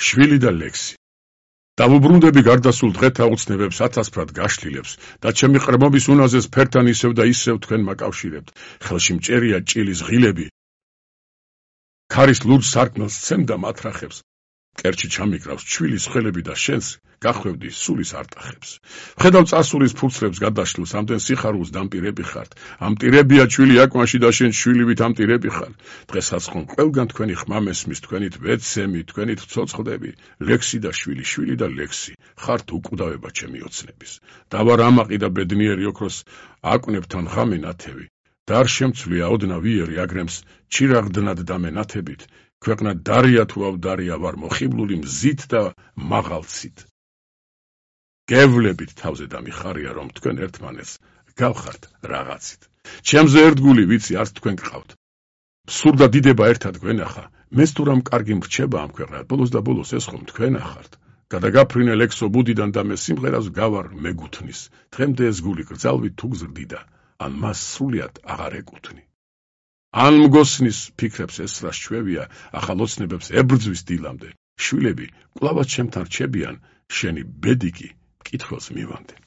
შვილი და ლექსი. დავუბრუნდები გარდასულ დღეთა ოცნებებს ათასფრად გაშლილებს და ჩემი ყრმობის უნაზეს ფერთან ისევ და ისევ თქვენ მაკავშირებთ. ხელში მჭერია ჭილის ღილები. ქარის ლურჯ სარკმელს ცემდა მათრახებს. კერჩი ჩამიკრავს ჩვილის ხელები და შენს გახვევდი სულის არტახებს. ვხედავ წასულის ფურცლებს გადაშლილს, ამდენ სიხარულს დამპირები ხართ. ამპირებია ჩვილი აკვანში და შენ შვილივით ამპირები ხარ. დღესაც ხომ ყველგან თქვენი ხმა მესმის, თქვენით ვეცემი, თქვენით ვცოცხლდები. ლექსი და შვილი, შვილი და ლექსი, ხართ უკვდავება ჩემი ოცნების. დავარ ამაყი და ბედნიერი ოქროს აკვნებთან ღამე ნათევი. და არ შემცვლია ოდნა ვიერი აგრემს ჩირაღდნად დამენათებით. ქვეყნა დარია თუ ავდარია ვარ მოხიბლული მზით და მაღალცით. გევლებით თავზე დამიხარია რომ თქვენ ერთმანეთს გავხართ რაღაცით. ჩემზე ერთგული ვიცი არც თქვენ გყავთ. სურდა დიდება ერთად გვენახა. მეც თუ რამ კარგი მრჩება ამ ქვეყნად, ბოლოს და ბოლოს ეს ხომ თქვენ ახართ. გადაგაფრინე ლექსო ბუდიდან და მე სიმღერას გავარ მეგუთნის. დღემდე ეს გული გრძალვით თუ გზრდიდა, ან მას სრულიად აღარ ეკუთვნი. ან მგოსნის ფიქრებს ესრა შჩევია, ახალ ოცნებებს ებრძვის დილამდე. შვილები კვლავაც ჩემთან რჩებიან, შენი ბედი კი მკითხველს მივამდე.